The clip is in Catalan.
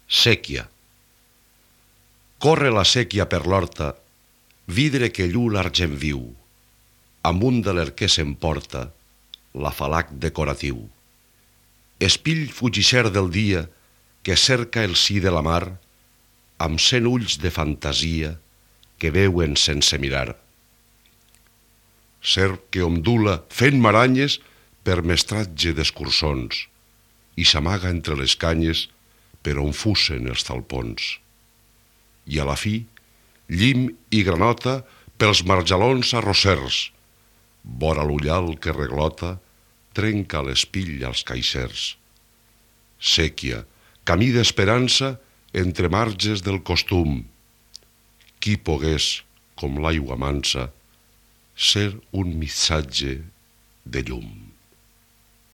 Séquia. Corre la séquia per l'horta, vidre que lluu l'argent viu, amunt de l'arquer s'emporta l'afalac decoratiu. Espill fugisser del dia que cerca el si de la mar, amb 100 ulls de fantasia que veuen sense mirar. Serp que ondula fent maranyes per mestratge d'escurçons i s'amaga entre les canyes per on fussen els talpons. I a la fi, llim i granota pels marjalons arrossers, vora l'ullal que reglota, trenca l'espill als caixers. Séquia, camí d'esperança entre marges del costum. Qui pogués, com l'aigua mansa, ser un missatge de llum.